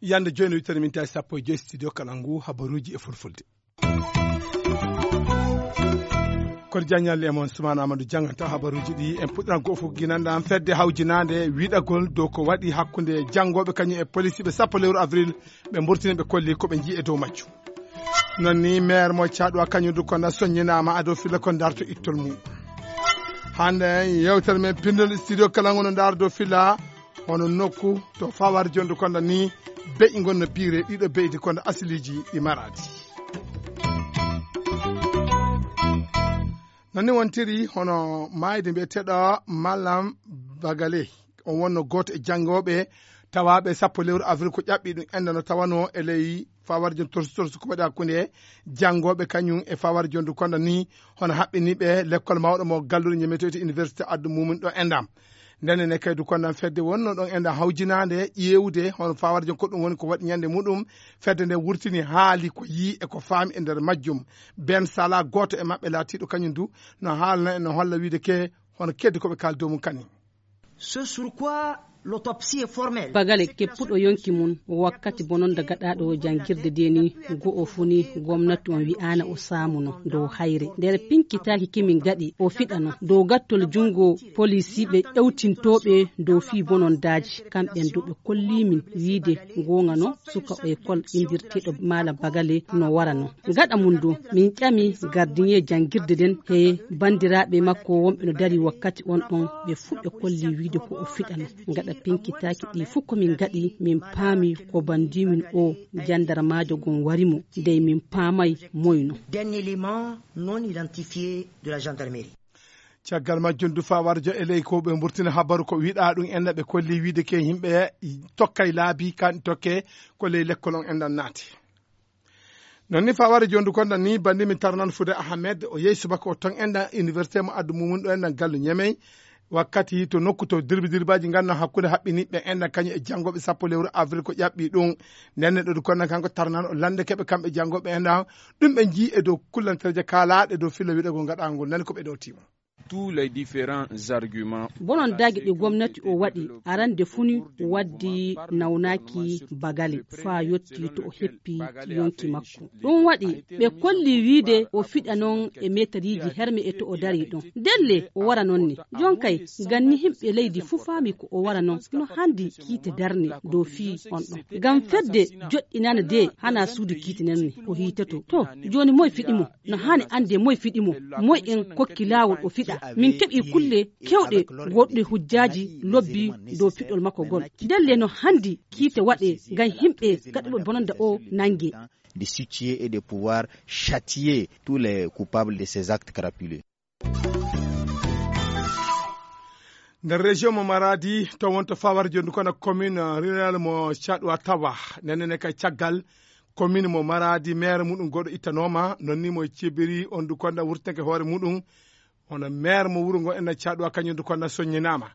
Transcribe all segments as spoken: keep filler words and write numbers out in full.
Yande jooni wittere min tawi sappo e joyi studio kala ngu habaruuji e fulfulde. Kono jaññal e mon Sumaana Amadou jannganta habaruuji ɗi. En puɗɗiran goo fof ginanɗan fedde hawjinaande wiɗagol dow ko waɗi hakkunde janngooɓe kañum e polisiiɓe sappo lewru avril. Ɓe mburtini ɓe kolli ko ɓe njii e dow majjum. Noon ni maire mo caɗwa kañum du kono soññinaama ado filla ko darto ittol mum. Hannde yewtere men pinndol studio kala ngono dardo filla hono nokku to fawar jondu konda ni beƴi ngon no piire ɗiɗo beydi konda asiliiji ɗi maraadi. Noon ni wontiri hono maayde mbiyeteɗo Malam Bagale. On wonno gooto e janngooɓe tawaaɓe sappo lewru avril ko ƴaɓɓi ɗum enda no tawano e ley fawar jon torsu torsu ko waɗi hakkunde janngooɓe kañum e fawar jondu konda ni hono haɓɓiniiɓe lekkol mawɗo mo gallure ñemeteeɗo université addu mumin ɗo endam. Ndenen e kaydu kondan fedde wonno ɗon enɗan hawjinaande ƴeewde hono fawar jon ko ɗum woni ko waɗi ñande muɗum. Fedde nde wurtini haali ko yii e ko faami e nder majjum. Ben Sala gooto e maɓɓe laatiiɗo kañum du no haalna en no holla wiide ke hono keddi ko ɓe kaali dow mum kani. Ce sur quoi l'autopsie est formelle. Bagale keppuɗo yonki mum wakkati bononda gaɗaaɗo o janngirde de ni go'o fuu ni gomnati on wi'aana o saamuno dow hayre nder pinkitaaki kimin gaɗi o fiɗano dow gattol junngo polisiiɓe ƴewtintooɓe dow fii bonondaaji kamɓen du ɓe kolliimin wiide goonga no suka o école inndirteeɗo maala bagale no wara no gaɗa mum du min ƴami gardiñe janngirde nden he banndiraaɓe makko wonɓe no dari wakkati on ɗon ɓe fuu ɓe kolli wiide ko o fiɗano gaɗa pinkitaaki ɗi fuu ko min gaɗi min paami ko bandimin o jandarmaajo gon wari mo dey min paamay moyno. D'un élément non identifié de la gendarmerie. Caggal majjum du fawarjo e ley ko ɓe mburtina habaru ko wiɗa ɗum en ɓe kolli wiide ke yimɓe tokkay laabi kan tokke ko ley lekkol on enɗan naati. Noon ni faware jondu konda ni bandi min tarnan fude ahmed o yehi subaka o ton enɗan université mo addu mumum ɗo enɗan gallu ñemey wakkati to nokku to dirbi dirbaji ganno hakkunde haɓɓiniɓe enɗan kañum e janngoɓe sappo lewru avril ko ƴaɓɓi ɗum. Nden neɗɗo du konda kanko tarnan o lande keɓe kamɓe janngoɓe enɗan ɗum ɓe jii e dow kullantereje kaalaɗe dow filla wiɗagol gaɗagol nani ko ɓe ɗo timo. Tous les différents arguments. Bonon dagi ɗi gomnati o waɗi arande funi waddi nawnaki bagale faa yotti to o heppi yonki makko. Ɗum waɗi ɓe kolli wiide o fiɗa noon e meetariji herme e to o dari ɗon. Delle o wara noon ne. Jonkay ganni himɓe leydi fuu faami ko o wara noon no handi kiite darne dow fii on ɗon. Ngam fedde joɗɗinana de hana suudu kiite nen ne o hiitoto. To jooni moy fiɗi mo? No haani annde moy fiɗi mo? Moy en kokki laawol o fiɗa? Min keɓi kulle kewɗe goɗɗe hujjaaji lobbi dow fiɗol makko gol. Ndelle no handi kiite waɗe ngam himɓe gaɗuɓe bononda o nange. De situer et de pouvoir châtier tous les coupables de ces actes crapuleux. Nder région mo maradi to wonto fawar jondu kono commune rurale mo caɗwa tawa nenene kay caggal commune mo maradi maire muɗum goɗo ittanoma nonni mo cebiri on du konda wurtake hoore muɗum. Hono maire mo wuro ngo enna caɗwa kañum du konda soññinama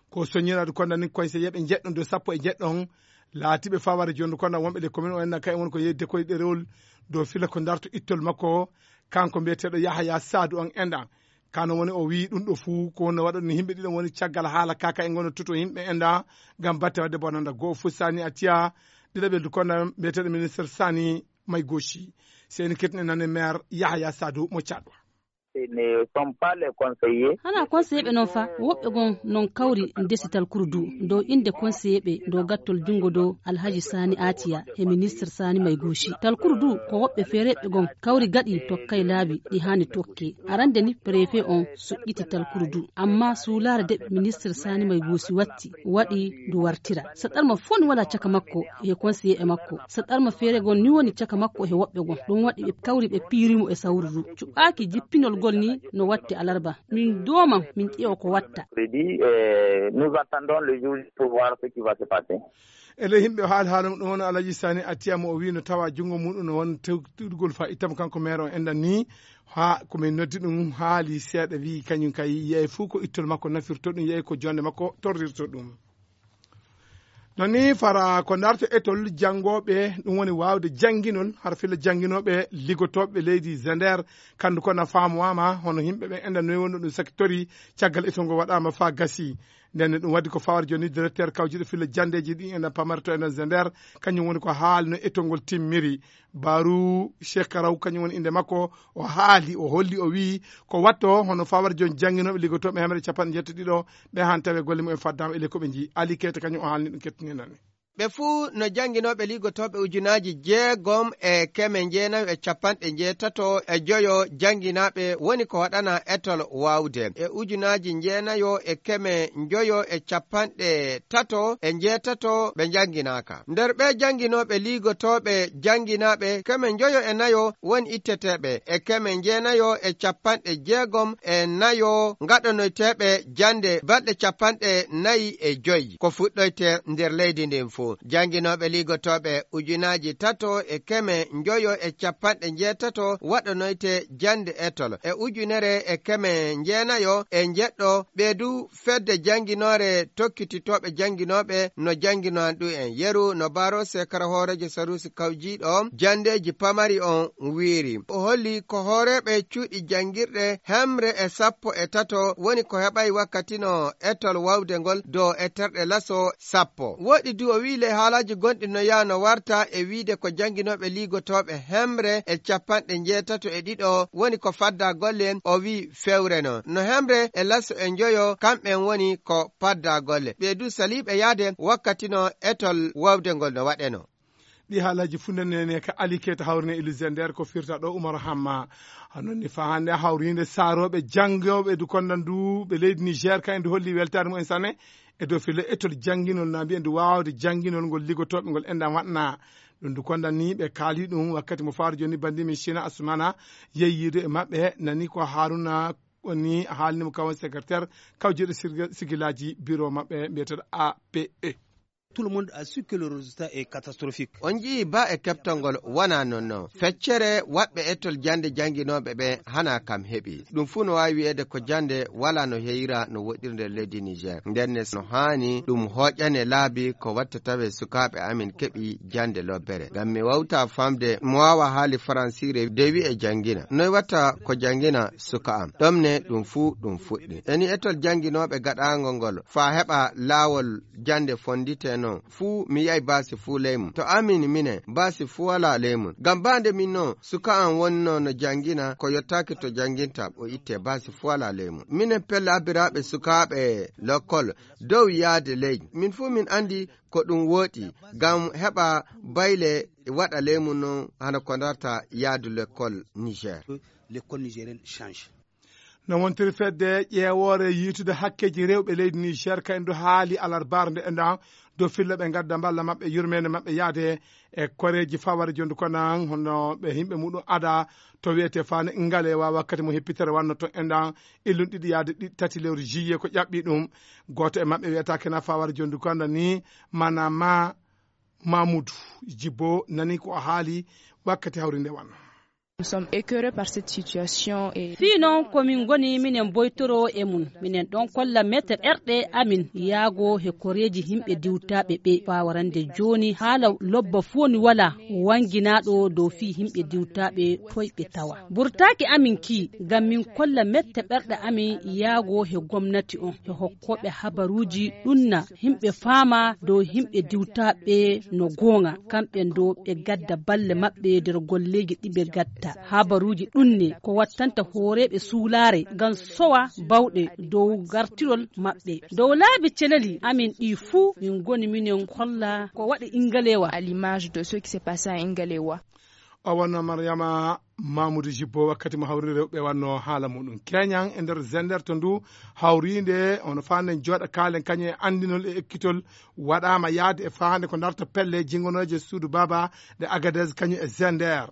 ko soññinade konda ni koñse yeɓe jeɗɗon do sappo e jeɗɗon. Laatiɓe faware jondu konda wonɓe ɗe commune o enna kay won ko yedde koye ɗerewol dow fila ko darto ittol makko. Kanko mbiyeteɗo yahaya sadu on enɗan kano woni o wii ɗum ɗo fuu ko wonno waɗa ɗum yimɓe ɗiɗon woni caggal haala kaka e ngono tuto yimɓe enɗa ngam batte wadde bonanda goo fuu sani a tiya. Ɗiɗaɓel du konda mbiyeteɗo ministre sani may goshi seni ketne nane maire yahaya sadu mo caɗwa. Hana conseiller ɓe noon fa woɓɓe gon noon kawri ndesital kurdu dow innde conseiller ɓe dow gattol junngo dow alhaji sani atiya he ministre sani may guusi talkuru du ko woɓɓe feereeɓe gon kawri gaɗi tokkay laabi ɗi haani tokke. Arande ni préfet on suƴƴiti talkuru du amma suulaare de ministre sani may guusi watti waɗi ndu wartira. Saɗarma fof ni wala caka makko he conseiller e makko. Saɗarma feere gon ni woni caka makko he woɓɓe gon ɗum waɗi ɓe kawri ɓe piirimo e sawru du. Cuɓaaki jippinol gol ni no watte alarba. Min dooma min ƴeewa ko watta. Nous attendons le jour pour voir ce qui va se passer. Ele yimɓe haali haalum ɗum woni alaji sani attiyama o wi no tawa junngo muɗum no won tewtudugol fa ittama kanko maire o enɗan ni. Ha komin noddi ɗum haali seeɗa wi kañum kay yeey fof ko ittol makko nafirto ɗum yeey ko jonde makko torrirto ɗum. Nani fara ko ndarto etol janngooɓe, ɗum woni waawde jannginol har filla jannginooɓe liggotooɓe leydi Zender. Kanndu ko na faamuwaama hono yimɓe ɓe enda noy wonno ɗum sakitori caggal etol ngol waɗaama faa gasi. Nden ɗum waɗi ko fawar jooni directeur kawjiɗo filla janndeeji ɗi ena pamarto enen Zender, kañum woni ko haalno etol ngol timmiri. Baru Shekaraw kañum woni innde makko. O haali, o holli, o wiyi ko watto hono fawar jooni jannginooɓe liggotooɓe hemre capanɗe jeetati ɗiɗo ɓe han tawe golle mumen faddaama e ley ko ɓe njiyi. Ali Keyta kañum o haalni ɗum kettininani. Ɓe fuu no jannginooɓe liggotooɓe ujunaaji jeegom e keme njeenayo e capanɗe njeetato e joyo jannginaaɓe woni ko waɗana etol waawde. E ujunaaji njeenayo e keme njoyo e capanɗe tato e njeetato ɓe njannginaaka. Nder ɓee jannginooɓe liigotooɓe jannginaaɓe keme njoyo e nayo woni itteteeɓe, e keme njeenayo e capanɗe jeegom e nayo ngaɗanoyteeɓe jannde balɗe capanɗe nayi e joy ko fuɗɗoyte nder leydi ndin fuu. Jannginooɓe liigotooɓe ujunaaji tato e keme njoyo e capanɗe njeetato waɗanoyte jannde etol e ujunere e keme njeenayo e njeɗɗo ɓee du fedde jannginoore tokkititooɓe jannginooɓe no jannginoan ɗum en yeru no Baro Sekara hooreejo saruusi kawjiiɗo janndeeji pamari on wiiri. O holli ko hooreeɓe cuuɗi janngirɗe hemre e sappo e tato woni ko heɓay wakkati no etol wawde ngol do e terɗe laso sappo. Woɗɗi du o wiyi ley haalaaji gonɗi no yaha no warta e wiide ko jannginooɓe liigotooɓe hemre e capanɗe njeetato e ɗiɗo woni ko fadda golle o wiyi fewre no. No hemre e laso e njoyo kamɓen woni ko padda golle. Ɓee du saliiɓe yaade wakkati no etol wawde ngol no waɗeno. Ɗi haalaaji fuu ndenene ka Ali Keyta hawrine e Luxembourg ko firta ɗo Umar Hamma. Hanon ni faa hannde hawriinde saarooɓe janngooɓe du kondan du ɓe leydi Niger ka en du holli weltaare mumen sanne e dow filo etol jannginol na mbiyen du waawde jannginol ngol liggotooɓe ngol enɗan waɗna. Ɗum du kondan ni ɓe kaali ɗum wakkati mo faaru jooni banndi min Sina Asumana yeeyiido e maɓɓe nani ko Haruna woni haalni mo kawon secrétaire kawjeeɗo sirga-, sigilaaji biro maɓɓe mbiyeteeɗo A P E. Tout le monde a su que le résultat est catastrophique. On njii ba e keptangol wona non non. Feccere waɗɓe etol jannde jannginooɓe ɓe hana kam heɓi. Ɗum fuu no waawi wiyeede ko jannde wala no heyira no woɗɗiri nder leydi Niger. Nden ne no haani ɗum hooƴane laabi ko watta tawe sukaaɓe amin keɓi jannde lobbere. Ngam mi wawta famde mo waawa haali faransiire de wi'e janngina. Noy watta ko janngina suka am? Ɗom ne ɗum fuu ɗum fuɗɗi. Eni etol jannginooɓe gaɗaango ngol faa heɓa laawol jannde fondite non. Fuu mi yi'ay baasi fuu ley mum. To amin minen, baasi fuu walaa ley mum. Ngam baa nde min non, suka am wonnoo no janngina ko yottaaki to jannginta, o ittee baasi fuu walaa ley mum. Minen pelle abbiraaɓe sukaaɓe lokkol dow yaade ley. Min fuu min anndi ko ɗum wooɗi, ngam heɓa bayle waɗa ley mum non hano ko ndarta yaadu lekkol Niger. L'école nigérienne change. No wontiri fedde ƴeewoore yiitude hakkeeji rewɓe leydi Niger ka en du haali alarbaare nde enɗan dow filla ɓe ngadda mballa maɓɓe yurmeende maɓɓe yaade e koreeji faware jondu konan hono ɓe yimɓe muɗum ada to wiyete fane ngalewa wakkati mo heppitere wanno to enɗan illun ɗiɗi yaade ɗi tati lewru juillet ko ƴaɓɓi ɗum. Gooto e maɓɓe wiyata kena faware jondu konan ni manama Mamoudou Djibo nani ko o haali wakkati hawri nde wanno. Nous sommes écœurés par cette situation et fii noon ko min ngoni minen boytoro e mum, minen ɗon kolla mette ɓerɗe amin yaago he koreeji yimɓe diwtaaɓe ɓe. Faa warande jooni haala lobba fof ni wala wannginaaɗo dow fii yimɓe diwtaaɓe toy ɓe tawa. Burtaaki amin kii ngam min kolla mette ɓerɗe amin yaago he gomnati on, he hokkooɓe habaruuji ɗunna yimɓe faama dow yimɓe diwtaaɓe no goonga, kamɓe dow ɓe gadda balle maɓɓe nder golleeji ɗi ɓe gatta. Habaruuji ɗunne ko wattanta hooreeɓe suulaare ngam sowa bawɗe dow gartirol maɓɓe. Dow laabi celeli amin ɗi fuu min ngoni minen kolla ko waɗi Ingalewa. À l'image de ce qui s'est passé à Ingalewa. O wonno Mariama Mamoudou Jibbo wakkati mo hawri rewɓe wanno haala muɗum. Keñan e nder Zender to ndu hawriinde ono faanden jooɗa kaalen kañum e anndinol e ekkitol waɗaama yaade e faande ko ndarta pelle jingonooje suudu baaba ɗe Agadez kañum e Zender.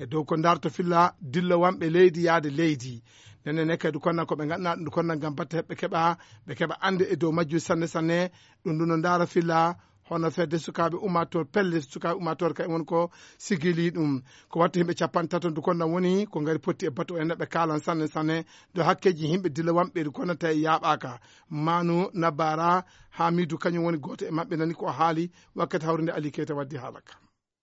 E dow ko ndarta filla dillowanɓe leydi yaade leydi. Nene ne kadi konna ko ɓe ngaɗna ɗum konna ngam batte heɓɓe keɓa, ɓe keɓa annde e dow majju sanne sanne. Ɗum ɗum no ndaara filla Hono fedde sukaaɓe ummaatoor pelle sukaaɓe ummaatoor kay woni ko sigili ɗum. Ko watta yimɓe capanɗe tato ndu konda woni ko ngari potti e batu o en ɓe kaalan sanne sanne. Do hakkeeji yimɓe dilla wamɓe ɗi konnata e yaaɓaaka. Manu nabara hamidu kañum woni gooto e maɓɓe nani ko haali. Wakkati hawrinde ali keyta waddi haala ka.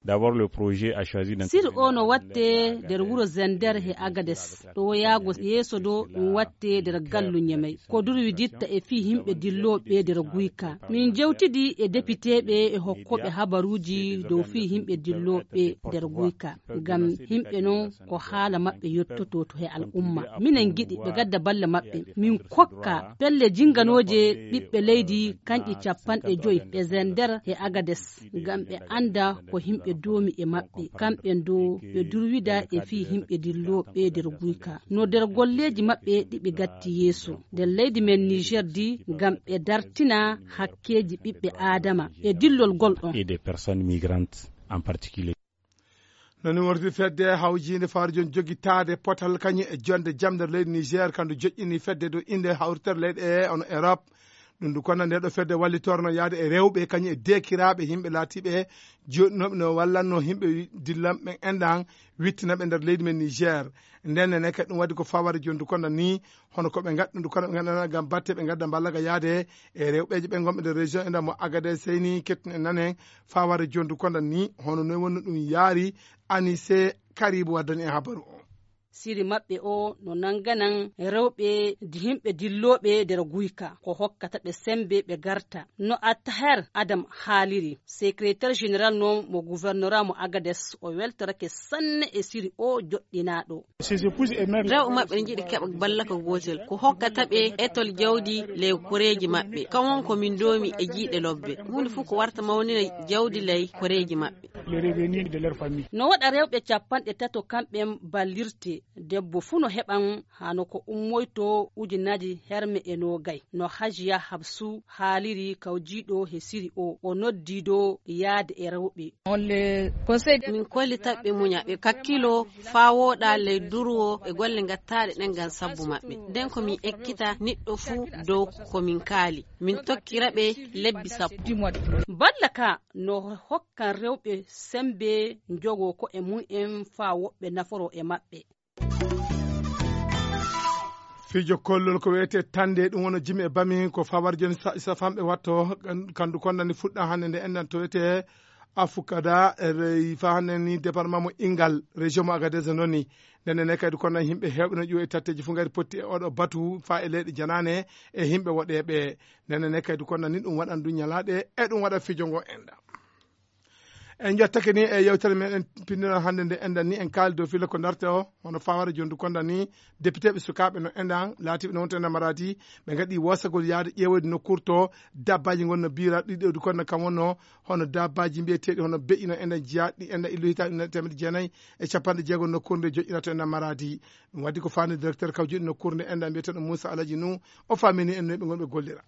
D'abord le projet a choisi. Sir o no watte nder wuro zender he agades. Ɗo yaago yeeso ɗo ɗum watte nder gallu ñamay ko durwiditta e fii yimɓe dillooɓe nder guyka. Min jewtidi e depiteeɓe e hokkooɓe habaruuji dow fii yimɓe dillooɓe nder guyka. Ngam yimɓe non ko haala maɓɓe yottoto to he al'umma. Minen ngiɗi ɓe gadda balle maɓɓe min kokka pelle jinganooje ɓiɓɓe leydi kanƴi capanɗe joyi ɓe zender he agades. Ngam ɓe annda ko yimɓe doomi e maɓɓe kamɓen do ɓe durwida e fii yimɓe dillooɓe nder guyka no nder golleeji maɓɓe ɗi ɓe gatti yeeso nder leydi men niger di. Ngam ɓe dartina hakkeeji ɓiɓɓe aadama e dillol gol ɗon. Et des personnes migrantes en particulier. No ni wordi fedde hawjiinde fawre jooni jogitaade potal kañum e jonde jam nder leydi niger kandu joƴƴini fedde dow innde hawritere leyɗe e ono europe. Ɗum ndu konna nde ɗo fedde wallitorno yahde e rewɓe kañum e deekiraaɓe yimɓe laatiiɓe joɗɗinooɓe no wallanno yimɓe dillanɓe enɗan wittinaɓe nder leydi men niger. Nden nene kadi ɗum waɗi ko faware joni ndu konna ni hono ko ɓe ngadda ndu konna ɓe ngadda ngam batte ɓe ngadda mballa ga yahde e rewɓeeje ɓe ngonɓe nder région enɗan mo agade seyni kettuno e nanen. Faware joni ndu konna ni hono noy wonno ɗum yaari anise karibu waddani e habaru o. Siri maɓɓe o no nannganan rewɓe yimɓe dillooɓe nder guyka ko hokkata ɓe semmbe ɓe ngarta. No attaher adam haaliri, secrétaire général noon mo gouvernorat mo agades o weltorake sanne e siri o joɗɗinaaɗo. Rewɓe maɓɓe ne njiɗi keɓa ballaka gootel ko hokkata ɓe etol jawdi ley koreeji maɓɓe. Kam won ko min ndoomi e jiyɗe lobbe. Huunde fof ko warta mawnina jawdi ley koreeji maɓɓe. No waɗa rewɓe capanɗe tato kamɓen ballirte. Debbo fuu no heɓan hano ko ummoyto ujunnaji herme e noogay. No hajiya habsu haaliri kawjiiɗo he siri o o noddiido yaade e rewɓe. Min kollitaɓe muña ɓe kakkilo faa wooɗa ley durwo e golle ngattaaɗe ɗen ngam sabbu maɓɓe. Nden ko min ekkita niɗɗo fuu dow ko min kaali. Min tokkira ɓe lebbi sappo. Balla ka no hokkan rewɓe semmbe njogo ko'e mum en faa woɓɓe naforo e maɓɓe. Fijo kollol ko wiyetee tannde ɗum woni jimi e bami ko fawar joni safanɓe watto. Kandu konnani fuɗɗa hannde nde enɗan to wiyetee afukada fa hannde ni département mo ingal région mo agadez noni. Ndenne ne kadi konna yimɓe heewɓe no ƴuwa e tatteeji fof ngari potti e oɗo batu fa e leyɗe janaane e yimɓe woɗeeɓe. Ndenne ne kadi konna ni ɗum waɗan du ñalaaɗe e ɗum waɗa fijo ngo enɗan. En jottake ni e yewtere meɗen pinndinal hannde nde enɗan ni en kaali dow filla ko ndarte o hono fawara jondu konda ni. Député ɓe sukaaɓe no enɗan laatiɓe no wonta enɗan maradi ɓe ngaɗi wosagol yaade ƴeewoyde nokkuure to dabbaji gon no biira ɗiɗo du konda kam wonno hono dabbaji mbiyeteɗi hono be'i no enɗan jiya ɗi enɗan illu hitaɗi ujunere temedde jeenayi e capanɗe jeego nokkuure nde joƴƴinata enɗan maradi. Ɗum waddi ko fani directeur kawjuɗi nokkuure nde enɗan mbiyeteɗo moussa alaji nu o famini en noyɓe gonɓe gollira.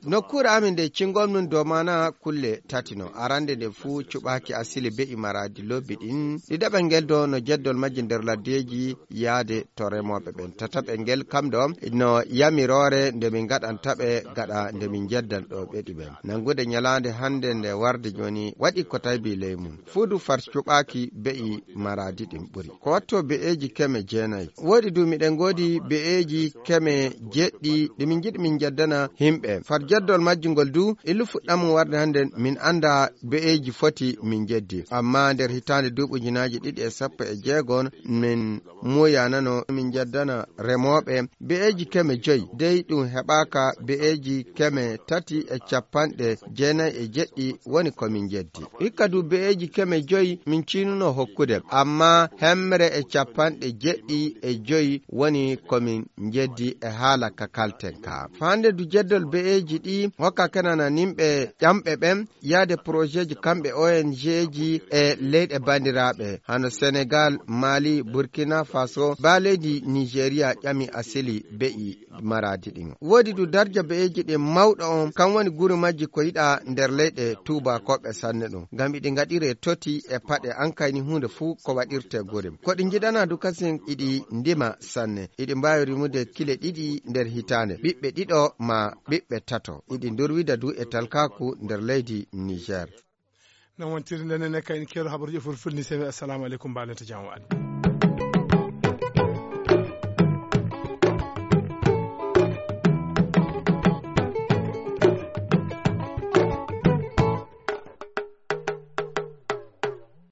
Nokkuure amin nde cingol mum dow maana kulle tati no arande nde fuu cuɓaaki asili be'i maradi lobbi ɗin. Ɗiɗaɓel ngel do no jeddol majji nder laddeeji yaade to remooɓe ɓen. Tataɓel ngel kam ɗo no yamiroore nde min ngaɗanta ɓe gaɗa nde min njeddan ɗo ɓeɗi ɓen. Nanngude ñalaande hannde nde warde jooni waɗi ko taybi ley mum. Fuudu far cuɓaaki be'i maradi ɗin ɓuri. Ko watto be'eeji keme jeenayi. Woodi du miɗen ngoodi be'eeji keme jeɗɗi ɗi min njiɗi min njeddana yimɓe. Far jeddol majji ngol du illu fuɗɗam mum warde hannde min annda be'eeji foti min njeddi. Amma nder hitaande duuɓi ujunaaji ɗiɗi e sappo e jeego min muuyanano min njeddana remooɓe be'eeji keme joyi. Dey ɗum heɓaaka be'eeji keme tati e capanɗe jeenayi e jeɗɗi woni ko min njeddi. Hikka du be'eeji keme joyi min ciinuno hokkude, amma hemre e capanɗe jeɗɗi e joyi woni ko min njeddi e haala ka kalten ka. Faande du jeddol be'eeji ɗi hokka kenana nimɓe ƴamɓe ɓen yaade projet ji kamɓe O N G ji e leyɗe bandiraaɓe hano Senegal, Mali, Burkina Faso, ba leydi Nigeria ƴami asili be'i maradi ɗin. Woodi du darja be'eeji ɗin mawɗo on, kan woni guri majji ko yiɗa nder leyɗe tuubakooɓe sanne ɗum. Ngam iɗi ngaɗire toti e paɗe an kayni huunde fuu ko waɗirte guri. Ko ɗi njiɗana du kasin iɗi ndima sanne. Iɗi mbaawi rimude kile ɗiɗi nder hitaande. Ɓiɓɓe ɓiɓɓe ɗiɗo ma ɓiɓɓe tato iɗi ndorwida du e talkaaku nder leydi Niger. Non wontiri nden enen kayni keeɗo habaruuji e fulfulde ni sewi. Assalamu aleykum, mbaalen to jam waali.